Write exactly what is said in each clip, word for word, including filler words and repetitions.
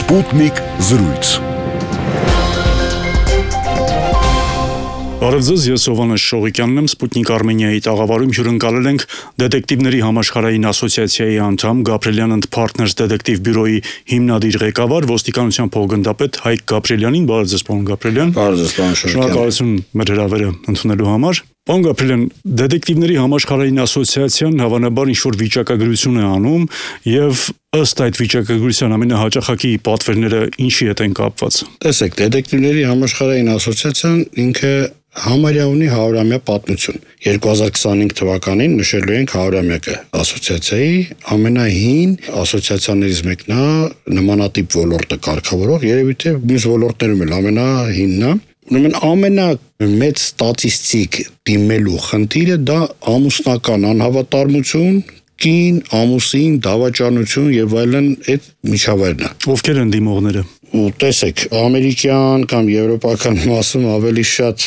Sputnik զրույց։ Բարև ձեզ, ես Հովհաննես Շողիկյանն եմ, Sputnik Armenia-ի տաղավարում հյուրընկալել ենք դետեկտիվների համաշխարհային ասոցիացիայի անդամ, Gabrielian and Partners դետեկտիվ բյուրոյի հիմնադիր ղեկավար, ոստիկանության փոխգնդապետ Հայկ Գաբրիելյանին։ Բարև ձեզ, պարոն Գաբրիելյան։ Բարև ձեզ, պարոն Շողիկյան։ Շնորհակալություն մեր հրավերը ընդունելու համար։ Պարոն Գաբրիելյան, դետեկտիվների համաշխարհային ասոցիացիան հավանաբար ինչ-որ վիճակագրություն է անում եւ ըստ այդ վիճակագրության ամենահաճախակի պատվերները ինչի հետ են կապված։ Տեսեք, դետեկտիվների համաշխարհային ասոցիացիան ինքը համարյա ունի հարյուրամյա պատմություն։ երկու հազար քսանհինգ թվականին նշելու ենք հարյուրամյակը ասոցիացիայի ամենահին ասոցիացիաներից մեկն է, նմանատիպ ոլորտը կարգավորող, երևի թե մյուս ոլորտներում էլ ամենահինն է։ Ուրեմն ամենամեծ ստատիստիկ դիմելու խնդիրը դա ամուսնական անհավատարմություն, կին, ամուսին, դավաճանություն եւ այլն այդ միջավայրն է։ Ովքեր են դիմողները։ Ու տեսեք, ամերիկյան կամ եվրոպական մասում ավելի շատ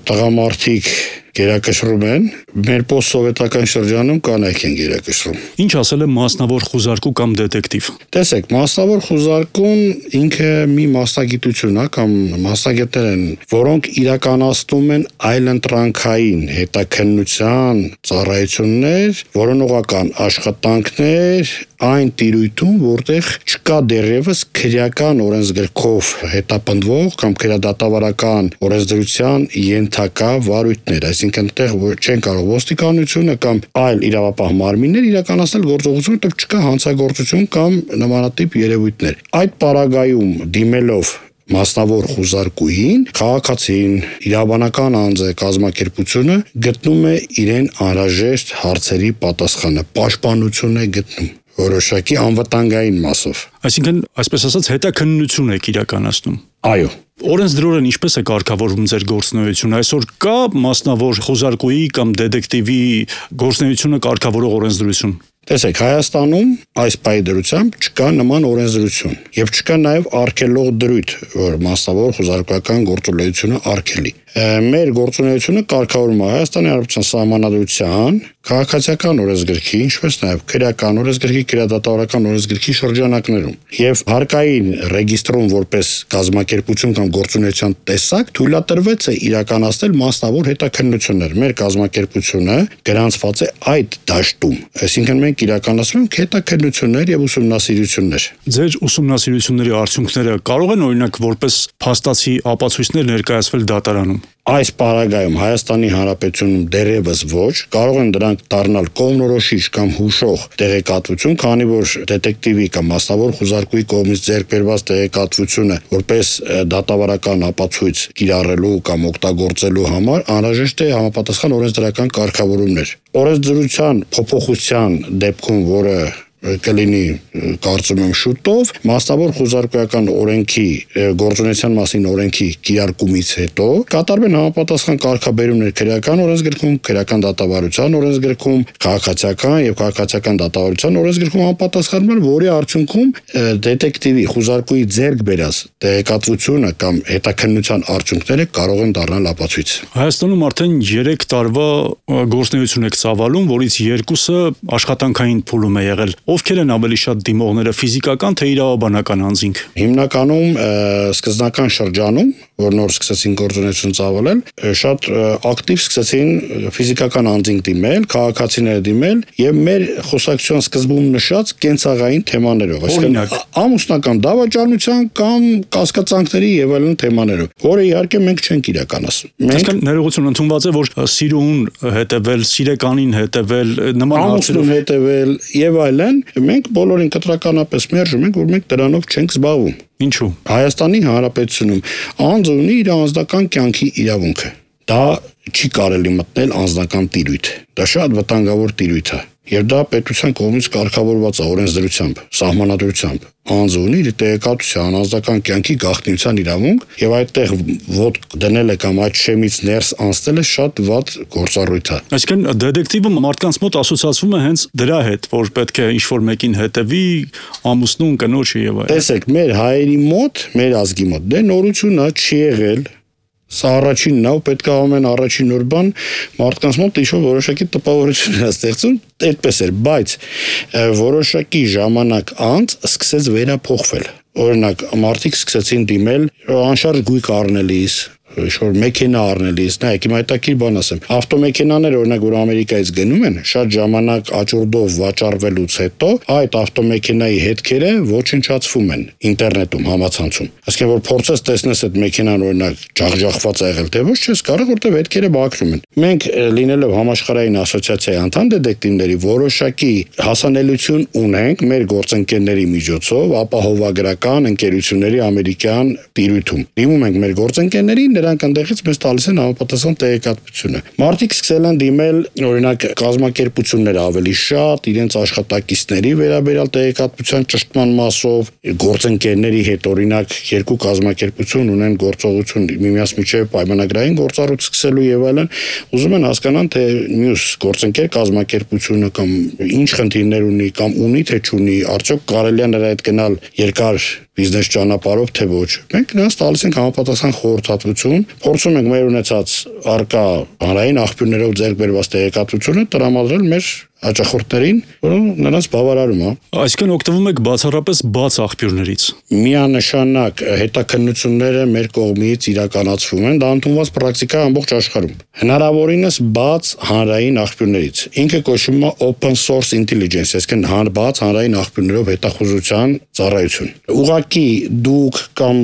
տղամարդիկ գերակշռում են, մեր պոստսովետական շրջանում կանայք են գերակշռում։ Ինչ ասել է մասնավոր խուզարկու կամ դետեկտիվ։ Տեսեք, մասնավոր խուզարկուն ինքը մի մասնագիտություն է կամ մասնագետներ են, որոնք իրականացնում են այլընտրանքային հետաքննության ծառայություններ, որոնողական աշխատանքներ այն տիրույթում, որտեղ չկա դեռևս քրեական օրենսգրքով հետապնդվող կամ քրեադատավարական օրենսդրության ենթակա վարույթներ, այսինքն այդտեղ չեն կարող ոստիկանությունը կամ այլ իրավապահ մարմիններ իրականացնել գործողություն, որտեղ չկա հանցագործություն կամ նմանատիպ երևույթներ։ Այդ պարագայում դիմելով մասնավոր խուզարկուին, քաղաքացին, իրավաբանական անձը, կազմակերպությունը գտնում է իրեն անհրաժեշտ հարցերի պատասխանը, պաշտպանություն է գտնում որոշակի անվտանգային մասով։ Այսինքն, այսպես ասած, հետաքննություն եք իրականացնում։ Այո։ Օրենսդրորեն ինչպես է կարգավորվում ձեր գործունեությունը։ Այսօր կա մասնավոր խոզարկուի կամ դետեկտիվի գործունեությունը կարգավորող օրենսդրություն։ Տեսեք, Հայաստանում այս պայդրությամբ չկա նման օրենսդրություն եւ չկա նաեւ արգելող դրույթ, որ մասնավոր խոզարկական գործունեությունը արգելի։ Մեր գործունեությունը կարգավորվում է Հայաստանի Հանրապետության Սահմանադրության, քաղաքացիական օրենսգրքի, ինչպես նաեւ քրեական օրենսգրքի, քրեադատավարական օրենսգրքի շրջանակներում եւ հարկային ռեգիստրում որպես կազմակերպություն կամ գործունեության տեսակ թույլատրվեց է իրականացնել մասնավոր հետաքննություններ։ Մեր կազմակերպությունը գրանցված է այդ դաշտում, այսինքն մենք իրականացնում ենք հետաքննություններ եւ ուսումնասիրություններ։ Ձեր ուսումնասիրությունների արդյունքները կարող են օրինակ որպես փաստացի ապացույցներ ներկայացվել դատարանում։ Այս պարագայում Հայաստանի Հանրապետությունում դեռևս ոչ, կարող են դրանք դառնալ կողմնորոշիչ կամ հուշող տեղեկատվություն, քանի որ դետեկտիվի կամ մասնավոր խուզարկուի կողմից ձեռք բերված տեղեկատվությունը որպես դատավարական ապացույց կիրառելու կամ օգտագործելու համար անհրաժեշտ է համապատասխան օրենսդրական կարգավորումներ։ Օրենսդրության փոփոխության դեպքում, որը կլինի կարծում եմ շուտով, մասնավոր խուզարկուական օրենքի գործունեության մասին օրենքի կիրարկումից հետո կատարվեն համապատասխան կարգաբերումներ քրեական օրենսգրքում, քրեական դատավարության օրենսգրքում, քաղաքացիական եւ քաղաքացիական դատավարության օրենսգրքում համապատասխանում, որի արդյունքում դետեկտիվի խուզարկուի ձեռք բերած տեղեկատվությունը կամ հետաքննության արդյունքները կարող են դառնալ ապացույց։ Հայաստանում արդեն երեք տարվա գործունեություն եք ծավալում, որից երկուսը աշխատանքային փուլում է եղել։ Ովքեր են ավելի շատ դիմողները, ֆիզիկական թե իրավաբանական անձինք։ Հիմնականում սկզբնական շրջանում, որ նոր սկսեցին գործունեություն ծավալել, շատ ակտիվ սկսեցին ֆիզիկական անձինք դիմել, քաղաքացիները դիմել եւ մեր խոսակցության սկզբում նշած կենցաղային թեմաներով, այսինքն ամուսնական դավաճանության կամ կասկածանքների եւ այլն թեմաներով, որը իհարկե մենք չենք իրականացնում։ Մենք ներողություն ընդունված է, որ սիրուն հետևել, սիրեկանին հետևել, նման հարցերով հետևել եւ այլն, մենք բոլորին կտրականապես մերժում ենք, որ մենք դրանով չենք զբաղվում։ Ինչու՞։ Հայաստանի Հանրապետությունում անձը ունի իր անձնական կյանքի իրավունքը։ Դա չի կարելի մտնել անձնական տիրույթ։ Դա շատ վտանգավոր տիրույթ է։ Եվ դա պետության կողմից կարգավորված է օրենսդրությամբ, սահմանադրությամբ։ Անձը ունի իր տեղեկատվության, անձնական կյանքի գաղտնիության իրավունք եւ այդտեղ ոտ դնելը կամ այդ շեմից ներս անցնելը շատ վատ գործառույթ է։ Այսինքն դետեկտիվը մարդկանց մոտ ասոցացվում է հենց դրա հետ, որ պետք է ինչ-որ մեկին հետևի, ամուսնուն, կնոջը եւ այլն։ Տեսեք, մեր հայերի մոտ, մեր ազգի մոտ դե նորություն է չի եղել։ Սա առաջինն է, պետք է ամեն առաջին նոր բան մարդկանց մոտ ինչ-որ որոշակի տպավորություն է ստեղծում, այդպես էր, բայց որոշակի ժամանակ անց սկսեց վերափոխվել։ Օրինակ, մարդիկ սկսեցին դիմել անշարժ գույք առնելիս, ինչ-որ մեքենա առնելիս, նայեք, հիմա հետաքրքիր բան ասեմ, ավտոմեքենաները, օրինակ, որ Ամերիկայից գնում են, շատ ժամանակ աճուրդով վաճառվելուց հետո այդ ավտոմեքենայի հետքերը ոչնչացվում են ինտերնետում, համացանցում։ Այսինքն, որ փորձես տեսնես այդ մեքենան, օրինակ, ջախջախված է եղել, թե ոչ, չես կարող, որտեղ հետքերը բակվում են։ Մենք լինելով համաշխարհային ասոցիացիայի անդամ դետեկտիվների որոշակի հասանելիություն ունենք մեր գործընկերների միջոցով ապահովագրական ընկերությունների ամերիկյան տիրույթում։ Դիմում ենք մեր գործընկերներին, նրանք այնտեղից մեզ տալիս են համապատասխան տեղեկատվությունը։ Մարդիկ սկսել են դիմել, օրինակ, կազմակերպությունները ավելի շատ, իրենց աշխատակիցների վերաբերյալ տեղեկատվության ճշտման մասով, գործընկերների հետ, օրինակ, երկու կազմակերպություն ունեն գործողություն միմյանց միջև պայմանագրային գործառույթ սկսելու եւ այլն, ուզում են հասկանան, թե մյուս գործընկեր կազմակերպությունը կամ ինչ խնդիրներ ունի կամ ունի թե չունի, արդյոք կարելի է նրա հետ գնալ երկար բիզնես ճանապարհով թե ոչ։ Մենք նրանց տալիս ենք համապատասխան խորհրդատվություն, փորձում ենք մեր ունեցած արկա հանրային աղբյուրներով ձեռք բերված տեղեկատվությունը տրամադրել մեր հաճախորդներին, որոնք նրանց բավարարում է։ Այսինքն օգտվում եք բացառապես բաց աղբյուրներից։ Միանշանակ հետաքննությունները մեր կողմից իրականացվում են, դա ընդունված պրակտիկա ամբողջ աշխարհում։ Հնարավորինս բաց հանրային աղբյուրներից։ Ինքը կոչվում է open source intelligence, այսինքն բաց հանրային աղբյուրներով հետախուզության ծառայություն։ Ուղղակի դուք կամ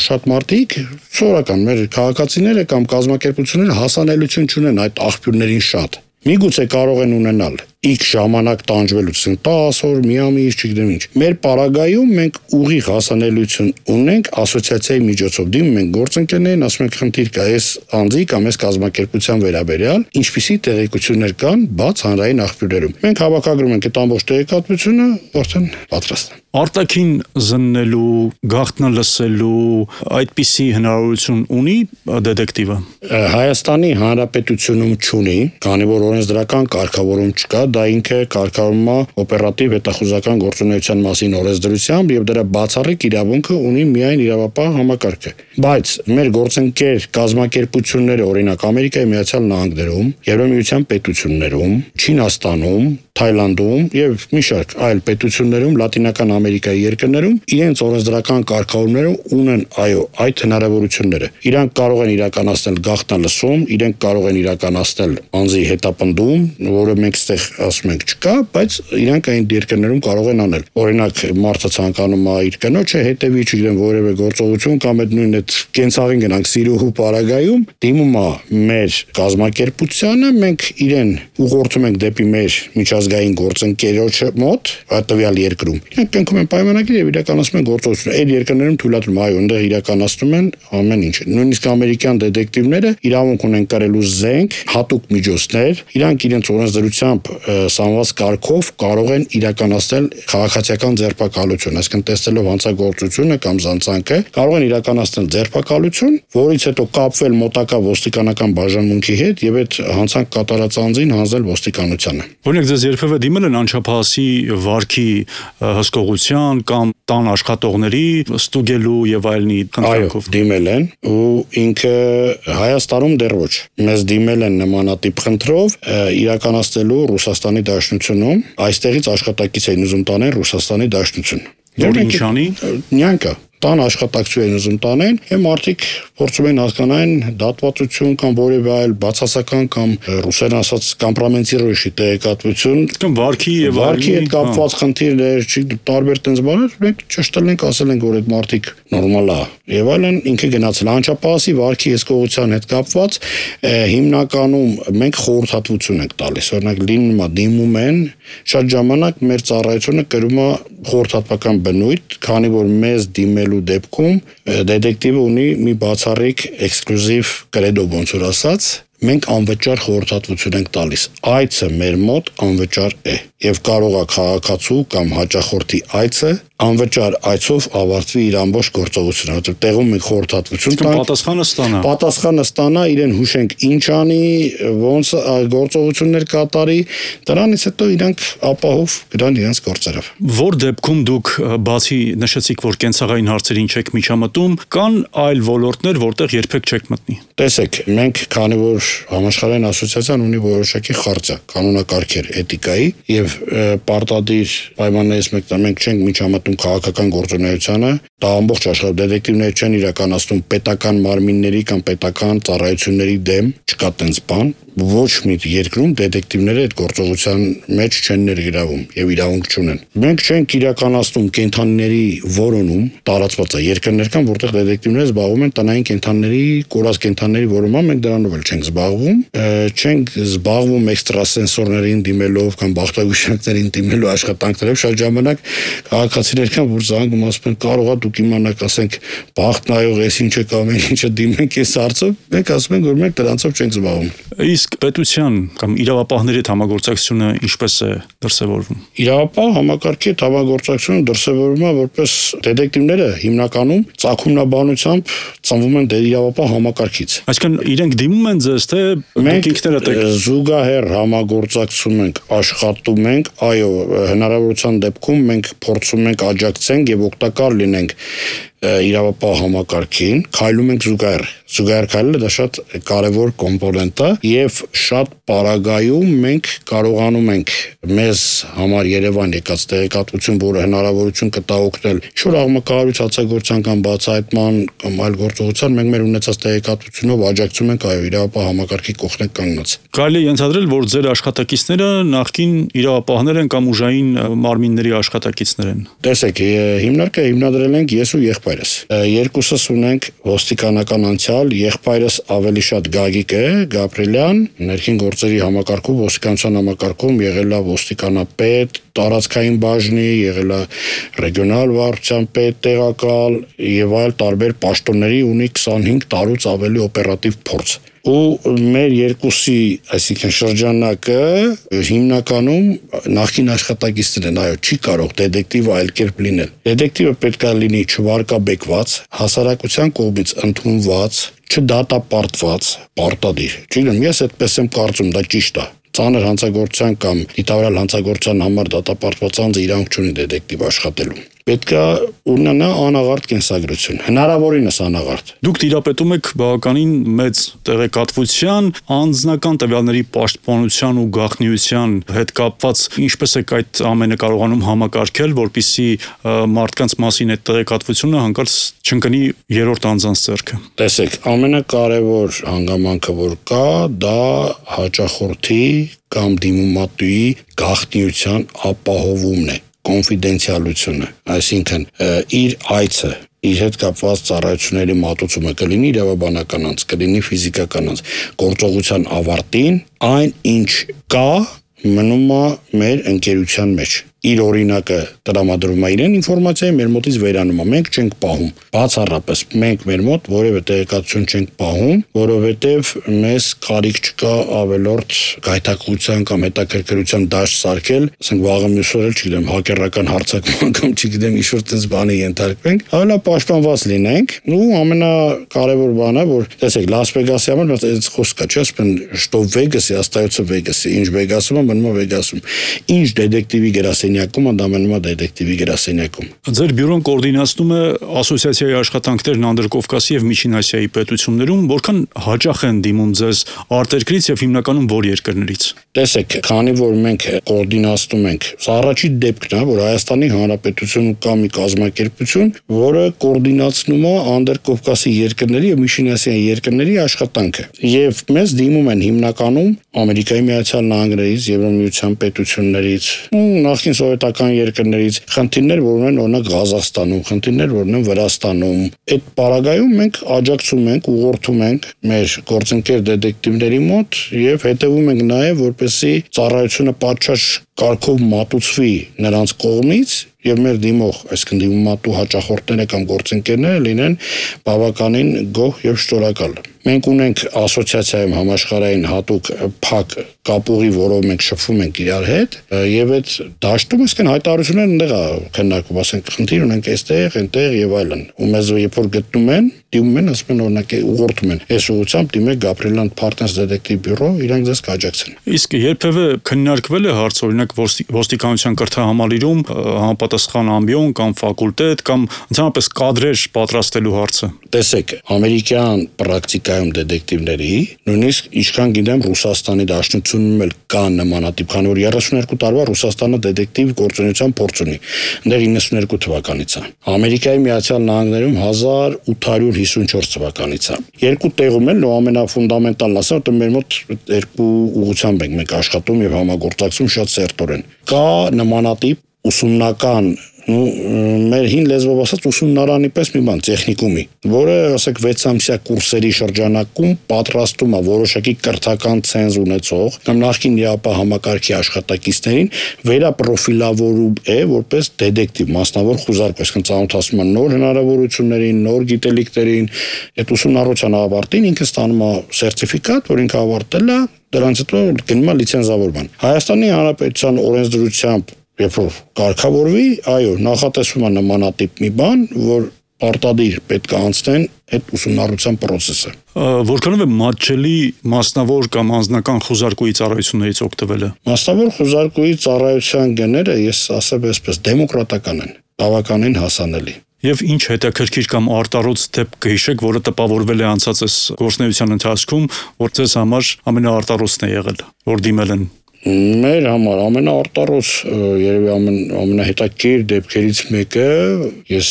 շատ մարդիկ, սովորական մեր քաղաքացիները կամ կազմակերպությունները հասանելիություն չունեն այդ աղբյուրներին շատ։ Միգուցե կարող են ունենալ X ժամանակ տանջվելուց, տասը օր, մի ամիս, չգիտեմ ինչ։ Մեր պարագայում մենք ուղիղ հասանելիություն ունենք ասոցիացիայի միջոցով։ Դիմում ենք գործընկերներին, ասում ենք խնդիր կա այս անձի կամ այս կազմակերպության վերաբերյալ, ինչպիսի տեղեկություններ կան բաց հանրային աղբյուրներում։ Մենք հավաքագրում ենք այդ ամբողջ տեղեկատվությունը, արդեն պատրաստ է։ Արտաքին զննելու, գաղտնալսելու այդպիսի հնարավորություն ունի դետեկտիվը։ Հայաստանի Հանրապետությունում չունի, քանի որ օրենսդրական կարգավորում չկա, դա ինքը կարգավորվում է օպերատիվ հետախուզական գործունեության մասին օրենսդրությամբ եւ դրա բացառիկ իրավունքը ունի միայն իրավապահ համակարգը։ Բայց մեր գործընկեր կազմակերպությունները, օրինակ Ամերիկայի Միացյալ Նահանգներում, Եվրոպական միության պետություններում, Չինաստանում, Թայլանդում եւ մի շարք այլ պետություններում, Լատինական Ամերիկայի երկրներում իրենց օրենսդրական կարգավորումները ունեն, այո, այդ հնարավորությունները։ Իրանք կարող են իրականացնել գաղտնալսում, իրենք կարող են իրականացնել անձի հետապնդում, որը մենք ստեղ ասում ենք չկա, բայց իրանք այն երկրներում կարող են անել։ Օրինակ, մարդը ցանկանում է իր կնոջը հետևի, չգիտեմ, որևէ գործողություն կամ այդ նույն այդ կենցաղին գնանք սիրուհու պարագայում, դիմում է մեր կազմակերպությանը, մենք իրեն ուղղորդում ենք դեպի մեր միջազգային գործընկերոջը մոտ, տվյալ երկրում։ Իրանք կնքում են պայմանագիր եւ իրականացնում են գործողություն։ Այդ երկրներում թույլատրում, այո, այնտեղ իրականացնում են ամեն ինչ։ Նույնիսկ ամերիկյան դետեկտիվները իրավունք ունեն կրելու զենք, հատուկ միջոցներ, իրանք իրենց օրենսդրությամբ սանված կարգով կարող են իրականացնել քաղաքացիական ձերբակալություն, այսինքն տեսնելով հանցագործությունը կամ զանցանքը, կարող են իրականացնել ձերբակալություն, որից հետո կապվել մոտակա ոստիկանական բաժանմունքի հետ եւ այդ հանցանք կատարած անձին հանձնել ոստիկանությանը։ Օրինակ, ձեզ երբևէ դիմել են անչափահասի վարքի հսկողության կամ տան աշխատողների ստուգելու եւ այլնի Այո, քննարկով։ դիմել են ու ինքը Հայաստանում դեռ ոչ։ Մեզ դիմել են նմանատիպ խնդրով իրականացնելու Ռուսաստանի Դաշնությունում, այստեղից աշխատակից էին ուզում տանել Ռուսաստանի Դաշնություն։ Որ ինչ անի։ Նյանքա տան աշխատակցություն են ուզում տանեն, եւ մարդիկ փորձում են հասկանալ դատվածություն կամ որևէ այլ բացասական կամ ռուսերեն ասած կոմպրոմենտիրոյի տեղեկատվություն կամ վարքի եւ վարքի հետ կապված խնդիրներ, չի տարբեր տենց բաներ, մենք ճշտել ենք, ասել ենք, որ այդ մարդիկ նորմալ է եւ այլն, ինքը գնացել անչափահասի վարքի հսկողության հետ կապված հիմնականում մենք խորհրդատվություն ենք տալիս, օրինակ լինում է դիմում են, շատ ժամանակ մեր ծառայությունը կրում է խորհրդատվական բնույթ, քանի որ մեզ դիմելու դեպքում դետեկտիվը ունի մի բացառիկ էքսկլյուզիվ կրեդո, ոնց որ ասած, մենք անվճար խորհրդատվություն ենք տալիս։ Այցը մեր մոտ անվճար է եւ կարող է քաղաքացու կամ հաճախորդի այցը անվճար այցով ավարտվի իր ամբողջ գործողությունը, որտեղ տեղում մենք խորհրդատվություն տանք, պատասխանը ստանա։ Պատասխանը ստանա, իրեն հուշենք ինչ անի, ոնց գործողություններ կատարի, դրանից հետո իրանք ապահով գնան իրենց գործերով։ Որ դեպքում դուք բացի նշեցիք, որ կենցաղային հարցերին չեք միջամտում, կան այլ ոլորտներ, որտեղ երբեք չեք մտնի։ Տեսեք, մենք քանի որ համաշխարհային ասոցիացիան ունի որոշակի խարծա, կանոնակարգեր էթիկայի եւ պարտադիր պայմաններից մեկն մենք չենք միջամտում քաղաքական գործունեությանը, դա ամբողջ աշխարհում դետեկտիվներ չեն իրականացնում պետական մարմինների կամ պետական ծառայությունների դեմ, չկա տենց բան, ոչ մի երկրում դետեկտիվները այդ գործողության մեջ չեն ներգրավում եւ իրավունք չունեն։ Մենք չենք իրականացնում կենդանիների որոնում, տարածված է երկրներ կան, որտեղ դետեկտիվները զբաղվում են տնային կենդանիների, կորած կենդանիների որոնմամբ, մենք դրանով էլ չենք զբաղվում, չենք զբաղվում էքստրասենսորներին դիմելով կամ բախտագուշակներին դիմելու աշխատանքներով, շատ ժամանակ քաղաքացիներ կան, որ զանգում ասում են կարող է դուք իմանաք, ասենք բախտ նայող էս ինչ է կամ ինչը դիմենք այս հարցով, մենք ասում ենք որ մենք դրանցով չենք զբաղվում։ Իսկ պետության կամ իրավապահների հետ համագործակցությունը ինչպես է դրսևորվում։ Իրավապահ համակարգի հետ համագործակցությունը դրսևորվում է որպես դետեկտիվները հիմնականում ծագումնաբանությամբ ծնվում են իրավապահ համակարգից։ Այսինքն իրենք դիմում են ձեզ, թե մենք ինքներդ եք զուգահեռ համագործակցում ենք, աշխատում ենք, այո, հնարավորության դեպքում մենք փորձում ենք աջակցենք եւ օգտակար լինենք իրավապահ համակարգին, քայլում ենք զուգահեռ։ Զուգահեռ քայլելը դա շատ կարևոր կոմպոնենտ է եւ շատ պարագայում մենք կարողանում ենք մեզ համար Երևան եկած տեղեկատվություն, որը հնարավորություն կտա օգնել ինչ-որ աղմկահարույց հացագործության կամ բացահայտման կամ այլ գործողության, մենք մեր ունեցած տեղեկատվությունով աջակցում ենք այո իրավապահ համակարգի կողքնեք կանգնած։ Կարելի է ենթադրել, որ ձեր աշխատակիցները նախկին իրավապահներ են կամ ուժային մարմինների աշխատակիցներ են։ Տեսեք, հիմնարկը հիմնադրել ենք ես ու եղբայրս։ Երկուսս ունենք ոստիկանական անցյալ, եղբայրս ավելի շատ Գագիկ է, Գաբրիելյան, ներքին գործերի համակարգում, ոստիկանության համակարգում եղել է ոստիկանապետ, տարածքային բաժնի, եղել է ռեգիոնալ վարչության պետ տեղակալ եւ այլ տարբեր պաշտոնների ունի քսանհինգ տարուց ավելի օպերատիվ փորձ։ Ու մեր երկուսի, այսինքն շրջանակը հիմնականում նախկին աշխատակիցներ են, այո, չի կարող դետեկտիվը այլ կերպ լինել։ Դետեկտիվը պետք է լինի չվարկաբեկված, հասարակության կողմից ընդունված, չդատապարտված, պարտադիր։ Չգիտեմ, ես այդպես եմ կարծում, դա ճիշտ է։ Ծանր հանցագործության կամ դիտավորյալ հանցագործության համար դատապարտված անձը իրավունք չունի դետեկտիվ աշխատելու։ Պետք է ունենա անաղարտ կենսագրություն, հնարավորինս անաղարտ։ Դուք տիրապետում եք բավականին մեծ տեղեկատվության, անձնական տվյալների պաշտպանության ու գաղտնիության հետ կապված, ինչպես եք այդ ամենը կարողանում համակարգել, որպեսզի մարդկանց մասին այդ տեղեկատվությունը հանկարծ չընկնի երրորդ անձանց ձեռքը։ Տեսեք, ամենակարևոր հանգամանքը որ կա, դա հաճախորդի կամ դիմումատուի գաղտնիության ապահովումն է, կոնֆիդենցիալությունը, այսինքն իր այցը, իր հետ կապված ծառայությունների մատուցումը կլինի իրավաբանական անձ, կլինի ֆիզիկական անձ, գործողության ավարտին այն ինչ կա մնում է մեր ընկերության մեջ։ Իր օրինակը տրամադրում է իրեն ինֆորմացիայի, մեր մոտից վերանում է, մենք չենք պահում։ Բացառապես մենք մեր մոտ որևէ տեղեկատվություն չենք պահում, որովհետև մեզ կարիք չկա ավելորդ գայթակղության կամ հետաքրքրության դաշտ սարքել, ասենք վաղը մյուս օրը, չգիտեմ, հակերական հարձակման կամ չգիտեմ ինչ-որ տես բանի ենթարկվենք, ավելի պաշտպանված լինենք։ Ու ամենակարևոր բանը, որ տեսեք, Լաս Վեգասի համար բայց այս խոսքը չէ, ասեն, что в Վեգասի, остается в Վեգասի, ինչ Վեգասում է, մնում է Վեգասում։ Ինչ դետեկտիվի գրասենյակում, դա մնում է դետեկտիվի գրասենյակում։ Ձեր բյուրոն կոորդինացնում է ասոցիացիայի աշխատանքներն Անդրկովկասի եւ Միջին Ասիայի պետություններում, որքան հաճախ են դիմում ձեզ արտերկրից եւ հիմնականում որ երկրներից։ Տեսեք, քանի որ մենք կոորդինացնում ենք, սա առաջի դեպքն է, որ Հայաստանի Հանրապետությունում կա մի կազմակերպություն, որը կոորդինացնում է Անդրկովկասի երկրների եւ Միջին Ասիայի երկրների աշխատանքը։ Եվ մեզ դիմում են հիմնականում Ամերիկայի Միացյալ Նահանգներից, Եվրամիության պետություններից, նախկին սովետական երկրներից, խնդիրներ, որ ունեն օրինակ Ղազախստանում, խնդիրներ, որ ունեն Վրաստանում։ Այդ պարագայում մենք աջակցում ենք, ուղղորդում ենք մեր գործընկեր դետեկտիվների մոտ եւ հետեւում ենք նաեւ, որպեսզի ծառայությունը պատշաճ կարգով մատուցվի նրանց կողմից եւ մեր դիմող, այսինքն դիմումատու հաճախորդները կամ գործընկերները լինեն բավականին գոհ եւ շնորհակալ։ Մենք ունենք ասոցիացիայում համաշխարհային հատուկ փակ կապուղի, որով մենք շփվում ենք իրար հետ եւ այդ դաշտում այսինքն հայտարարությունները այնտեղ է քննարկվում, ասենք խնդիր ունենք այստեղ, այնտեղ եւ այլն։ Ու մեզ երբ որ գտնում են, դիմում են, ասում են օրինակ ուղղորդում են։ Այս ուղղությամբ դիմեք Gabrielian Partners Detective Bureau, իրանք ձեզ կաջակցեն։ Իսկ երբևէ քննարկվել է հարց, օրինակ ոստիկանության կրթահամալիրում համապատասխան ամբիոն կամ ֆակուլտետ կամ ընդհանրապես կադրեր պատրաստելու հարցը։ Տեսեք, ամերիկյան պրակտիկայում դետեկտիվների, նույնիսկ ինչքան գիտեմ Ռուսաստանի Դաշնությունում էլ կան նմանատիպ, քանի որ երեսուներկու տարվա Ռուսաստանը դետեկտիվ գործունեության փորձ ունի։ Այնտեղ իննսուներկու թվականից է։ Ամերիկայի Միացյալ Նահանգներում հազար ութ հարյուր հիսունչորս թվականից է։ Երկու տեղում էլ ամենաֆունդամենտալն ասեմ, որ մեր մոտ երկու ուղղությամբ ենք մենք աշխատում եւ համագործակցում շատ սերտորեն։ Կա նմանատիպ ուսումնական ու մեր հին լեզվով ասած ուսումնարանի պես մի բան տեխնիկումի, որը ասեք վեց ամսյա կուրսերի շրջանակում պատրաստում է որոշակի կրթական ցենզ ունեցող կամ նախկին ԵԱՊ համակարգի աշխատակիցներին վերապրոֆիլավորում է որպես դետեկտիվ մասնավոր խուզարկ, այսինքն ծանոթացնում է նոր հնարավորություններին, նոր գիտելիքներին, այդ ուսումնառության ավարտին ինքը ստանում է սերտիֆիկատ, որ ինքը ավարտել է, դրանից հետո գնում է լիցենզավորման։ Հայաստանի Հանրապետության օրենսդրությամբ երբ որ կարգավորվի, այո, նախատեսվում է նմանատիպ մի բան, որ պարտադիր պետք է անցնեն այդ ուսումնառության process-ը։ Որքանով է մատչելի մասնավոր կամ անձնական խուզարկուի ծառայություններից օգտվելը։ Մասնավոր խուզարկուի ծառայության գները, ես ասեմ այսպես, դեմոկրատական են, բավականին հասանելի։ Եվ ինչ հետաքրքիր կամ արտարոց դեպք կհիշեք, որը տպավորվել է անցած այս գործունեության ընթացքում, որ ձեզ համար ամենաարտարոցն է եղել, որ դիմել են։ Մեր համար ամենաարտարոց երևի ամեն ամենահետաքրքիր դեպքերից մեկը, ես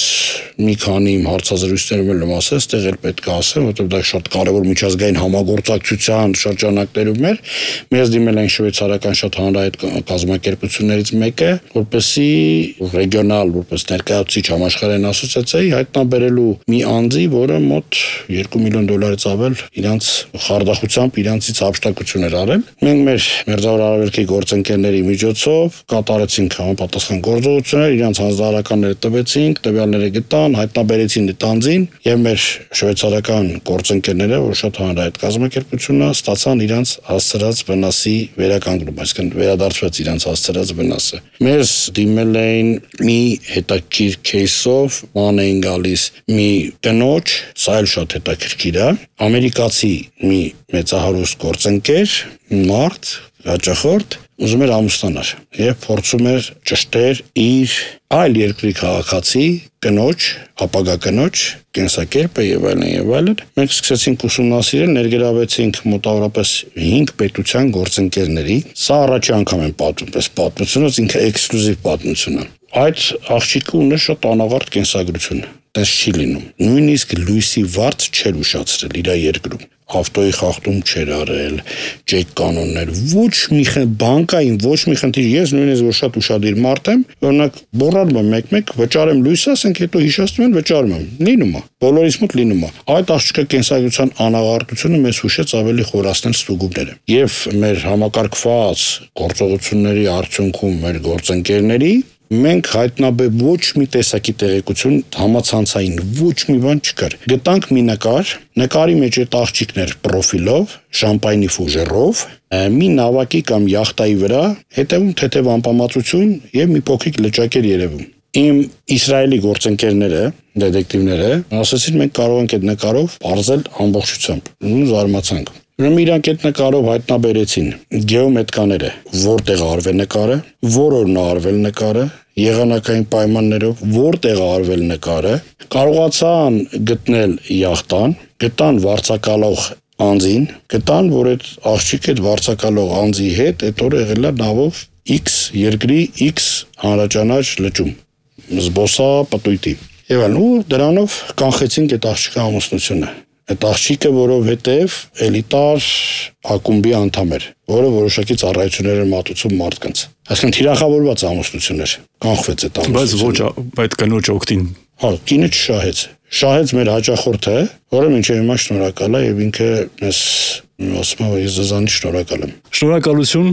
մի քանի իմ հարցազրույցներում եմ ասել, այստեղ էլ պետք է ասեմ, որովհետև դա շատ կարևոր միջազգային համագործակցության շրջանակներում էր, մեզ դիմել են շվեյցարական շատ հանրահայտ կազմակերպություններից մեկը, որպեսզի ռեգիոնալ, որպես ներկայացուցիչ համաշխարհային ասոցիացիայի հայտնաբերելու մի անձի, որը մոտ երկու միլիոն դոլարից ավել իրանց խարդախությամբ իրանցից հափշտակություն էր արել։ Մենք մեր մերձավոր գործընկերների միջոցով կատարեցինք համապատասխան գործողություններ, իրանց հանձնարարականները տվեցինք, տվյալները գտան, հայտնաբերեցին այդ անձին եւ մեր շվեյցարական գործընկերները, որ շատ հանրահայտ կազմակերպություն է, ստացան իրանց հասցրած վնասի վերականգնում, այսինքն վերադարձվեց իրանց հասցրած վնասը։ Մեզ դիմել էին մի հետաքրքիր кейսով, ման էին գալիս մի կնոջ, սա էլ շատ հետաքրքիր է, ամերիկացի մի մեծահարուստ գործընկեր, մարդ հաճախորդ ուզում էր ամուսնանալ եւ փորձում էր ճշտել իր այլ երկրի քաղաքացի կնոջ, ապագա կնոջ կենսակերպը եւ այլն եւ այլն։ Մենք սկսեցինք ուսումնասիրել, ներգրավեցինք մոտավորապես հինգ պետության գործընկերների։ Սա առաջի անգամ եմ պատմում, պես պատմությունը ինքը էքսկլյուզիվ պատմություն է։ Այդ աղջիկը ունի շատ անաղարտ կենսագրություն։ Դες չի լինում։ Նույնիսկ լույսի վարձ չէր ուշացրել իր երկրում։ Ավտոյի խախտում չէր արել, ճեկ կանոններ, ոչ մի բանկային, ոչ մի խնդիր, ես նույնիսկ որ շատ ուշադիր մարդ եմ, օրինակ բորանում եմ մեկ-մեկ, վճարեմ լույսը, ասենք հետո հիշեցնում են վճարում եմ, լինում է, բոլորիս մոտ լինում է։ Այդ աղջկա կենսագրության անաղարտությունը մեզ հուշեց ավելի խորացնել ստուգումները։ Եվ մեր համակարգված գործողությունների արդյունքում մեր գործընկերների մենք հայտնաբեր ոչ մի տեսակի տեղեկություն համացանցային ոչ մի բան չկար։ Գտանք մի նկար, նկարի մեջ այդ աղջիկն էր պրոֆիլով, շամպայնի ֆուժերով, մի նավակի կամ յախտայի վրա, հետևում թեթև անպամացություն եւ մի փոքրիկ լճակ էր երևում։ Իմ իսրայելի գործընկերները, դետեկտիվները, ասացին մենք կարող ենք այդ նկարով բարձել ամբողջությամբ։ Ու զարմացանք։ Ուրեմն իրանք այդ նկարով հայտնաբերեցին գեոմետրկաները, որտեղ արվել նկարը, որ օրն արվել նկարը, եղանակային պայմաններով որտեղ արվել նկարը, կարողացան գտնել յախտան, գտան վարձակալող անձին, գտան, որ այդ աղջիկը այդ վարձակալող անձի հետ այդ օրը եղել է նավով X երկրի X հանրաճանաչ լճում, զբոսապտույտի։ Եվ այլն, ու դրանով կանխեցինք այդ աղջիկի ամուսնությունը։ Այդ աղջիկը, որովհետև էլիտար ակումբի անդամ էր, որը որոշակի ծառայություններ էր մատուցում մարդկանց։ Այսինքն թիրախավորված ամուսնություն էր, կանխվեց այդ ամուսնությունը։ Բայց ոչ այդ կնոջ օգտին։ Հա, կինը չշահեց։ Շահեց մեր հաճախորդը, որը մինչև հիմա շնորհակալ է եւ ինքը մեզ ասում եմ, որ ես ձեզանից շնորհակալ եմ։ Շնորհակալություն,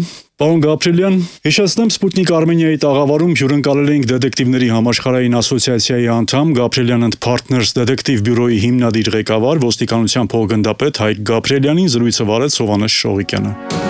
պարոն Գաբրելյան։ Հիշեցնեմ, Sputnik Armenia-ի տաղավարում հյուրընկալել էինք դետեկտիվների համաշխարհային ասոցիացիայի անդամ Gabrielian and Partners դետեկտիվ բյուրոյի հիմնադիր ղեկավար ոստիկանության փոխգնդապետ Հայկ Գաբրելյանին, զրույցը վարեց Սովանես Շողիկյանը։